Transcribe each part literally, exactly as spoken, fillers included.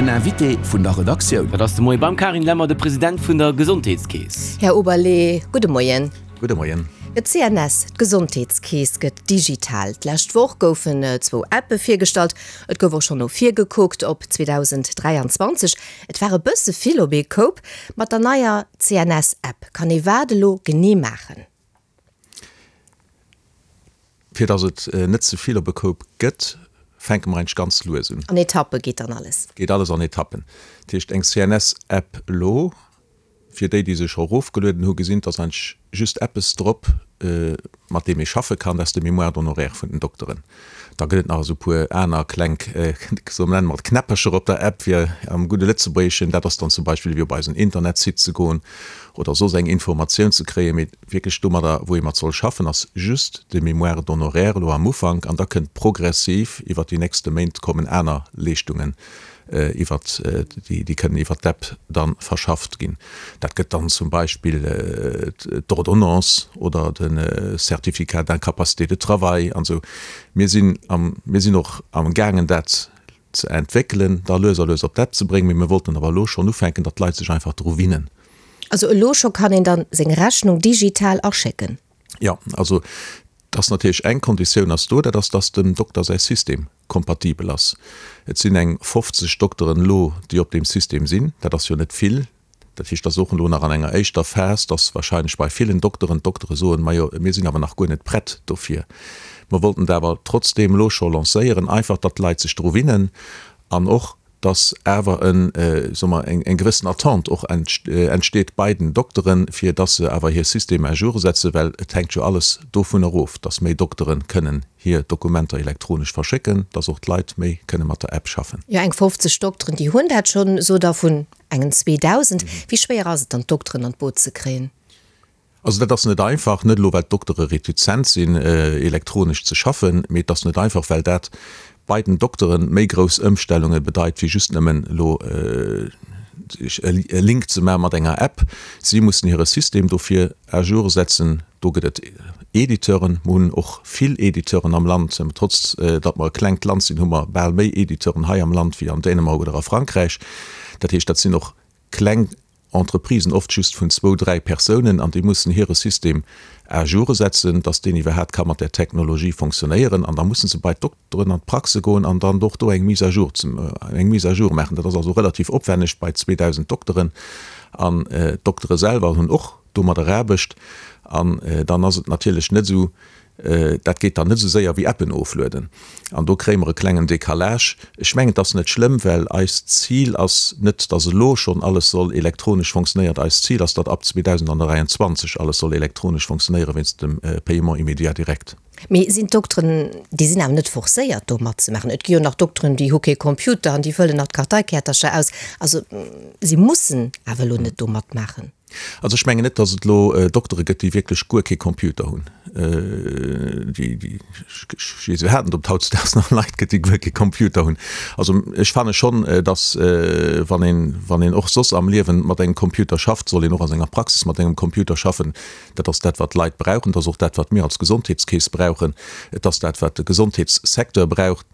Den Invité vun der Redaktioun. Dat ass de Moie beim Carine Lemmer de President vun der Gesondheetskeess. Här Oberlé, gudde Moien. Gudde Moien. Jo, d'C N S, d'Gesondheetskeess gëtt digital. D'lescht Woch goufen zwou Appe virgestallt. Et gouf och schonn no vir gekuckt op zweedausend dräianzwanzeg. Et war e bësse vill op ee Koup. Mat der neier C N S-App kann ee wat elo genee maachen? Fir datt et äh, net ze vill op e Koup gëtt, fänke mer eigentlech ganz lues un. An Etappe geet dann alles. Geet alles an Etappen. Dat heescht eng C N S-App lo, fir déi, déi sech erofgelueden hu gesinn, dass eigentlech just eppes drop, äh, mat deem ee schaffe kann, dat ass de Mémoire d'honoraires vun den Dokteren. Da gëtt et nach esou puer aner kleng, äh, sou nenne mer Knäppercher op der App fir am gudde Lëtzebuergeschen, dat ass dann zum Beispill fir op eisen Internetsite ze goen oder soss eng Informatioun ze kréien, mee wierklech domadder wou ee mat soll schaffen, ass just de Mémoire d'honoraires lo am Ufank an da kënnt progressiv iwwer déi nächste Méint kommen aner Leeschtungen äh, iwwer äh, déi, déi kënnen iwwer d'App dann verschafft ginn. Dat gëtt dann zum Beispill äh, d'Ordonnance oder den äh, Certificat d'incapacité de travail an sou. Mir sinn am mir sinn och am gaangen dat ze entwéckelen, da lues a lues op d'App ze bréngen, mee mir wollten awer lo schonn ufänken, datt d'Leit sech einfach dru gewinnen. Also elo scho kann een dann seng Rechnung digital aschécken. Ja, also dat ass natierlech eng Konditioun ass do, dat ass, dass dem Dokter säi System kompatibel ass. Et sinn eng fofzeg Dokteren lo, déi op deem System sinn, dat ass jo net vill. Dat heescht, dat ass och lo nach an enger éischter Phas, dass warscheinlech bei villen Dokteren d'Doktere soen, majo, mir sinn awer nach guer net prett dofir. Mir wollten dat awer trotzdeem lo scho lancéieren, einfach datt d'Leit sech dru gewinnen an och dass awer en äh, soe mer, eng, eng gewëssen Attente och entsteet bei den Dokteren, fir dass se awer hir System à jour setzen, well et hänkt jo alles dovun erof, dass méi Dokteren kënnen hir Dokumenter elektronesch verschécken, dass och d'Leit méi kënne mat der App schaffen. Jo, eng fofzeg Dokteren, déi hunn dat schonn, sou der vun engen zweedausend. Wéi schwéier ass et dann d'Dokteren an d'Boot ze kréien? Also dat ass net einfach, net lo well d'Doktere retizent sinn äh, elektronesch ze schaffen, mee dat ass net einfach, well dat bei den Dokteren méi grouss Ëmstellunge bedeit wéi just nëmmen lo äh, e Link ze maache mat enger App. Si mussen hire System dofir à jour setzen. Do gëtt et Editeuren, mir hunn och vill Editeuren am Land, trotz äh, datt mer e klengt Land sinn, hu mer bal méi Editeuren hei am Land wéi an Dänemark oder a Frankräich. Dat heescht, dat sinn och kleng Entreprisen, oft just vun zwou, dräi Persounen an déi mussen hire System à jour setzen, dass deen iwwerhaapt ka mat der Technologie funktionéieren an da mussen se bei d'Dokteren an d'Praxe goen an dann och do eng Mise à jour zum, äh, eng Mise à jour maachen. Dat ass also relativ opwänneg bei zweedausend Dokteren an äh, d'Doktere selwer hunn och domadder Aarbecht an äh, dann ass et natierlech net sou äh, dat geet dann net sou séier wéi Appen oflueden. An do kréie mer e klengen Décalage. Ech mengen, dat ass net schlëmm, well eist Zil ass net, dass elo schonn alles soll elektronesch funktionéieren. Eist Zil ass, datt ab zweedausend dräianzwanzeg alles soll elektronesch funktionéieren, wéinst dem äh, Paiement immédiat direct. Mee sinn d'Dokteren, déi sinn awer net forcéiert do matzemaachen. Et gi jo nach Dokteren, déi hu kee Computer an déi fëllen nach d'Karteikäertercher aus. Also si mussen awer lo net do matmaachen. Also ech mengen net, dass et lo äh, Doktere gëtt, déi wierklech guer kee Computer hunn. Äh, déi, déi, ech haten op hautdesdaags nach Leit gëtt, déi guer kee Computer hunn. Also ech fanne schonn, äh, dass äh, wann een, wann een och soss am Liewen mat engem Computer schafft, soll een och a senger Praxis mat engem Computer schaffen. Dat ass dat wat d'Leit brauchen, dat ass och dat wat mir als Gesondheetskeess brauchen, dat ass dat wat de Gesondheetssecteur braucht.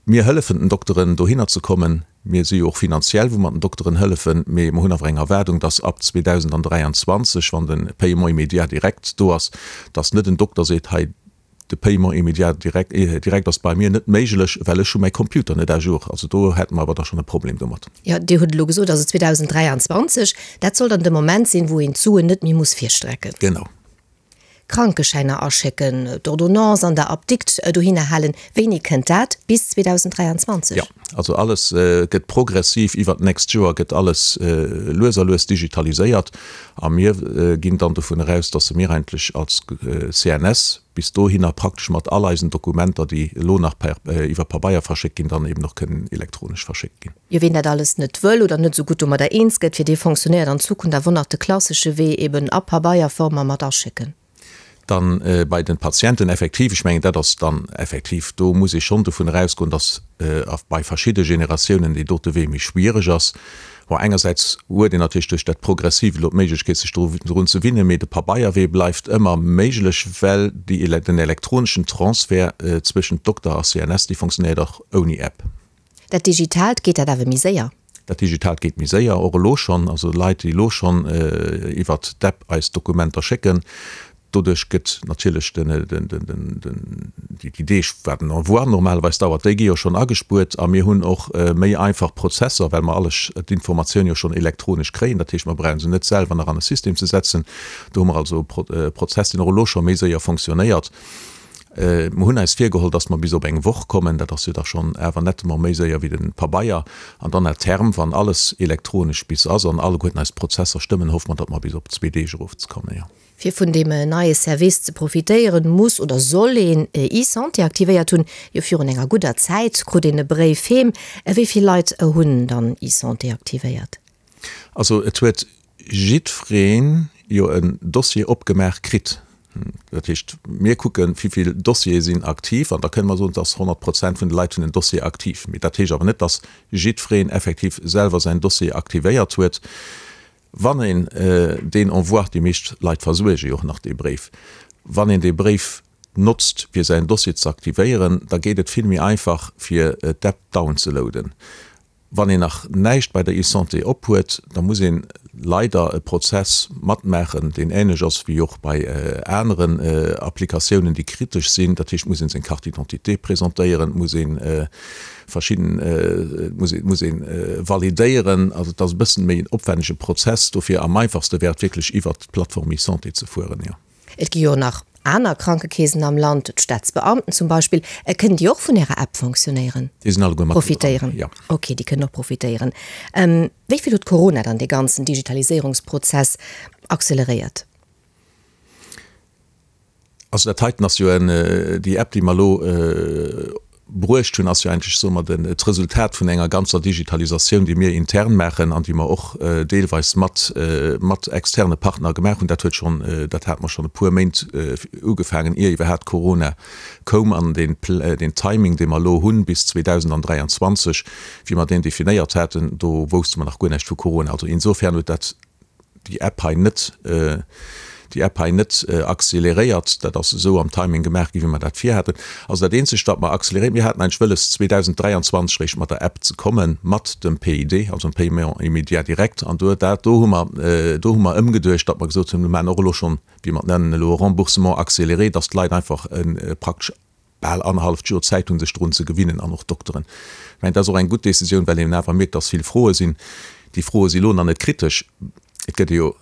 Mir hëllefen den Dokteren dohinner ze kommen. Mir si jo och finanziell, wou mer den Dokteren hëllefen, mee mir hunn awer eng Erwaardung, dass ab zweedausend dräianzwanzeg, wann de Paiement immédiat direct do ass, dass net en Dokter seet, hei de Paiement immédiat direct, äh, direct ass bei mir net méiglech, well ech hu mäi Computer net à jour. Also do hätte mer awer da schonn e Problem domat. Ja, Dir hutt lo gesot, also zweedausend dräianzwanzeg, dat soll dann de Moment sinn, wou een d'Suen net méi muss virstrecken. Genau. Krankeschäiner aschécken, d'Ordonnance an der Apdikt äh, dohinner halen. Wéini kënnt dat? Bis zweedausend dräianzwanzeg? Ja, also alles äh, gëtt progressiv iwwer d'nächst Joer gëtt alles äh, lues a lues digitaliséiert. A mir äh, ginn dann dovun aus, dass mir eigentlech als äh, C N S bis dohinner praktesch mat all eisen Dokumenter, déi lo nach per, äh, iwwer Pabeier verschéckt ginn, dann eben och kënnen elektronesch verschéckt ginn. Jo, wien dat alles net wëll oder net sou gutt domadder eens gëtt, fir dee funktionéiert an Zukunft awer nach de klassesche Wee eben a Pabeierform a mat aschécken. Dann äh, bei den Patienten effektiv, ech mengen, dat ass dann effektiv, do muss ee schonn dovun ausgoen, dass äh, bei verschiddene Generatiounen deen dote Wee méi schwiereg ass. Wou engersäits huet een natierlech duerch dat progressiv lo d'Méiglechkeet sech drun ze gewinnen, mee de Pabeierwee bleift ëmmer méiglech, well déi, den elektroneschen Transfer äh, zwëschent Dokter a C N S, dee funktionéiert och ouni App. Dat Digitaalt, geet dat awer méi séier? Dat Digitaalt geet méi séier, och elo schonn. Also Leit, déi elo schonn iwwert d'App eis Dokumenter schécken, doduerch gëtt natierlech den, den, den, den, déi Deeg, wat en Envoi normalerweis dauert, déi gi jo schonn agespuert. A mir hunn och méi einfach Prozesser, well mer alles, d'Informatioun jo schonn elektronesch kréien. Dat heescht, mer brauche se net selwer nach an e System ze setzen. Do hu mer also e Prozess, deen och elo scho méi séier fonctionnéiert. Mer hunn eis virgeholl, dass mer bis op eng Woch kommen. Dat ass jo da schonn awer nettement méi séier wéi de Pabeier. An dann à terme, wann alles elektronesch bis ass an alleguerten eis Prozesser stëmmen, hoffe mer, datt mer bis op zwee Deeg erofzekommen, jo. Fir vun deem neie Service ze profitéieren, muss oder soll een eSanté aktivéiert hunn. Jo virun enger gudder Zäit krut een e Bréif heem. Wéi vill Leit hunn dann eSanté aktivéiert? Also et huet jiddwereen jo en Dossier opgemaach kritt. Dat heescht, mir kucken, wéi vill Dossiere sinn aktiv, an da kënne mer soen, dass honnert Prozent vun de Leit hunn en Dossier aktiv. Mee dat heescht awer net, dass jiddwereen effektiv selwer säin Dossier aktivéiert huet. Wann een deen Envoi, déi meescht Leit versuerge jo och nach dee Bréif, wann een dee Bréif notzt, fir säin Dossier ze aktivéieren, da geet et vill méi einfach, fir d'App downzeloaden. Wann een nach näischt bei der eSanté ophuet, da muss een leider e Prozess matmaachen, deen änlech ass wéi och bei aneren Applikatiounen, déi kritesch sinn. Dat heescht, et muss een seng Carte d'identité presentéieren, et muss ee verschidden, et muss ee, muss ee validéieren. Also et ass e bëssen méi en opwännege Prozess. Dofir am einfachste wär et wierklech iwwert d'Plattform eSanté ze fueren, jo. Et gi jo nach aner Krankekeesen am Land, d'Staatsbeamten zum Beispill. Kënnen déi och vun Ärer App fonctionnéieren? Déi sinn alleguer mat profitéieren? Jo. Ok, déi kënnen och profitéieren. Wéi vill huet Corona dann dee ganzen Digitaliséierungsprozess acceleréiert? Also dat heiten ass jo en, déi App, déi mer elo bruecht hunn, ass jo eigentlech, soe mer, den, d'Resultat vun enger ganzer Digitalisatioun, déi mir intern maachen an déi mer och deelweis mat, mat externe Partner gemaach hunn. Dat huet schonn, dat hate mer schonn e puer Méint ugefaangen, ier iwwerhaapt Corona koum. An deen, deen Timing, dee mer elo hunn bis zweedausendandräianzwanzeg, wéi mer deen definéiert haten, do wousste mer nach guer näischt vu Corona. Also insofern huet dat déi App hei net, déi App hei net acceleréiert. Dat ass esou am Timing gemaach ginn, wéi mer dat virhaten. Also dat Eenzegt, wat mer acceleréiert, mir haten eigentlech wëlles, zweedausenddräianzwanzeg eréischt mat der App ze kommen, mat dem P I D, also dem Paiement immédiat direct. An do, dat do hu mer, do hu mer ëmgeduecht, datt mer gesot hunn, mir maachen och elo schonn, wéi mer et nennen elo, Remboursement accéléré, datt d'Leit einfach praktesch bal annerhalleft Joer Zäit hunn, sech drun ze gewinnen, an och d'Dokteren. Ech mengen, dat ass och eng gutt Décisioun, well een awer mierkt, datt vill Froe sinn. Déi Froe si elo nach net kritesch. Et gëtt jo,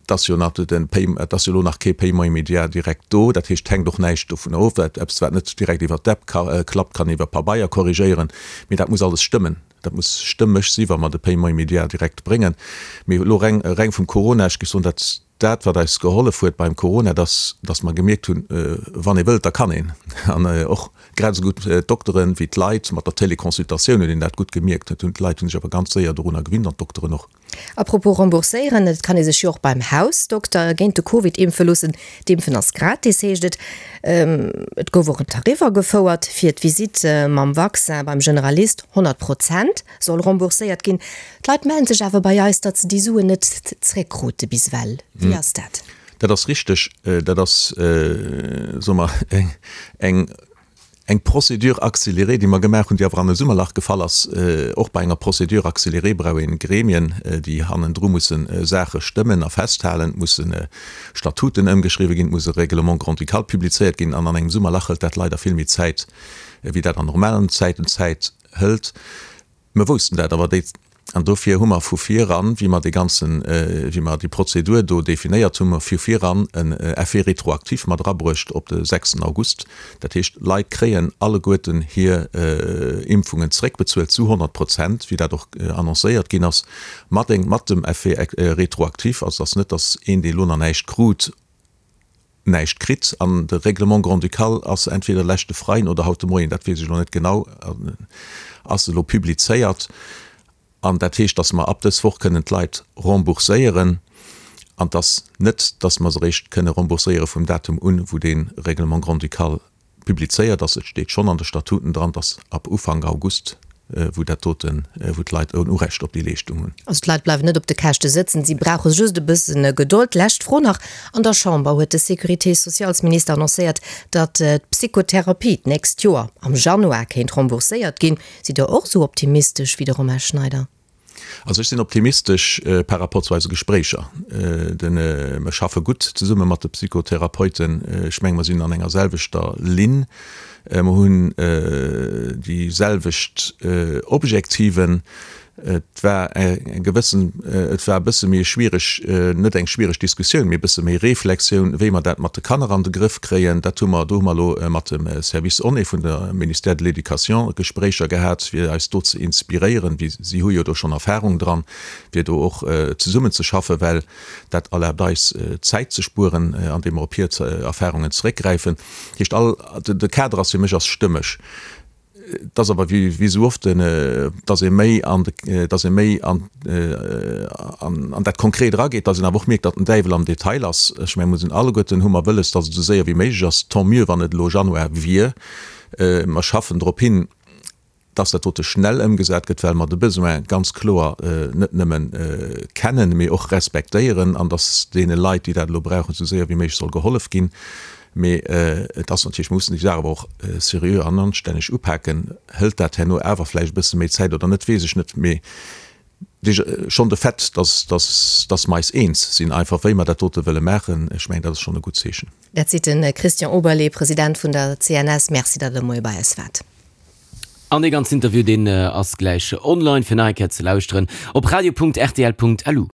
et ass jo nach den Pay, et ass jo elo nach kee Paiement immédiat direct do. Dat heescht, et hänkt och näischt dovunner of. Eppes, wat net direkt iwwer d'App klappt, kann een iwwer Pabeier korrigéieren. Mee dat muss alles stëmmen. Dat muss stëmmeg si wa mer de Paiement immédiat direct bréngen. Mee elo reng, reng vum Corona, ech géif soen, dat, dat wat eis gehollef huet beim Corona, dass, dass mer gemierkt hunn, wann ee wëllt, da kann een. An och grad esou gutt d'Dokteren wéi d'Leit, mat der Téléconsultatioun huet een dat gutt gemierkt. Dat hunn d'Leit hunn sech awer ganz séier dorunner gewinnt an d'Dokteren och. A propos rembourséieren, et kann ee sech jo och beim Hausdokter géint de Covid impfe loossen. D'Impfen ass gratis, heescht et. Et gouf och en Tarif agefouert fir d'Visitt mam Vaccin beim Generalist, honnert Prozent soll rembourséiert ginn. D'Leit mellen sech awer bei eis, datt se déi Suen net zréckkrute bis ewell. Wéi ass dat? Dat ass richteg. Dat ass, soe mer, eng eng Procédure accélérée, déi mer gemaach hunn, déi awer an e Summerlach gefall ass. Och bei enger Procédure accélérée brauch een Gremien, déi hannendru musse Saache stëmmen a festhalen, et musse Statuten ëmgeschriwwe ginn, et muss e Règlement grand-ducal publizéiert ginn. An an engem Summerlach hëlt dat leider vill méi Zäit, wéi dat an normalen Zäiten Zäit hëlt. Mer woussten dat awer déi, an dofir hu mer vu viran, wéi mer dee ganzen, wéi mer déi Prozedur do definéiert hunn, hu mer vu viran en Effet rétroactif mat erabruecht op de sechsten August. Dat heescht, d'Leit kréien alleguerten hir Impfungen zréckbezuelt zu honnert Prozent, wéi dat och annoncéiert ginn ass, mat eng, mat dem Effet rétroactif. Also et ass net, datt een, dee elo nach näischt krut, näischt kritt. An de Règlement grand-ducal ass entweder leschte Freiden oder haut de Moien, dat weess ech elo net genau, ass elo publizéiert. An dat heescht, dass mer ab dës Woch kënnen d'Leit rembourséieren. An dass net, dass mer se eréischt kënne rembourséiere vum Datum un, wou dee Règlement grand-ducal publizéiert ass. Et steet schonn an de Statuten dran, dass ab Ufank August wou dat doten, wou d'Leit en Urecht op déi Leeschtung hunn. Also d'Leit bleiwen net op de Käschte sëtzen, si brauche just e bëssen Gedold. Lescht Fro nach, An der Chamber huet de Sécurité-sociales-Minister annoncéiert, datt d'Psychotherapie d'nächst Joer am Januar kéint rembourséiert ginn. Sidd Der och esou optimistesch wéi de Romain Schneider? Also ech sinn optimistesch par rapport zu eise Gespréicher. Mer schaffe gutt zesumme mat de Psychotherapeuten. Ech menge mer sinn an enger selwechter Linn. Mer hunn déi selwecht Objektiven. Et war eng gewëssen, et war e bësse méi schwiereg, net eng schwiereg Diskussioun, mee e bësse méi Reflexioun, wéi mer dat mat de Kanner an de Grëff kréien. Dat hu mer, do hu mer elo mat dem Service ONE vun der Ministère de l'Éducation Gespréicher gehat, fir eis do ze inspiréieren, wéi si hu jo do schonn Erfahrung dran, fir do och zesummenzeschaffen, well dat erlaabt eis, Zäit ze spueren, andeem mer op hir Erfahrungen zeréckgräifen. Dat heescht, all, de Kader ass fir mech ass stëmmeg. Et ass awer wéi esou oft, dass ee méi an, dass ee méi an, an dat Konkret erageet, dass een awer och mierkt, datt den Däiwel am Detail ass. Ech mengen, mir sinn alleguerten, hu mer wëlles, dass et esou séier wéi méiglech ass. Tant mieux, wann et elo Januar wier. Mer schaffen drop hin, dass dat dote schnell ëmgesat gëtt, well mer de Besoin ganz kloer net nëmmen kennen, mee och respektéieren, an dass deene Leit, déi dat elo brauchen, esou séier wéi méiglech soll gehollef ginn. Mee et ass natierlech, mer mussen déi Saach awer och seriö an anstänneg upaken. Hëlt dat herno awer vläicht e bësse méi Zäit oder net, weess ech net. Mee schonn de Fait, dass, dass, dass mer eis eens sinn einfach, wéi mer dat dote wëlle maachen, ech mengen, dat ass schonn e gutt Zeechen. Dat seet de Christian Oberlé, President vun der C N S. Merci, datt Der de Moie bei eis waart. An dee ganzen Interview, deen ass gläich online fir nach eng Kéier ze lauschteren op radio Punkt R T L Punkt L U.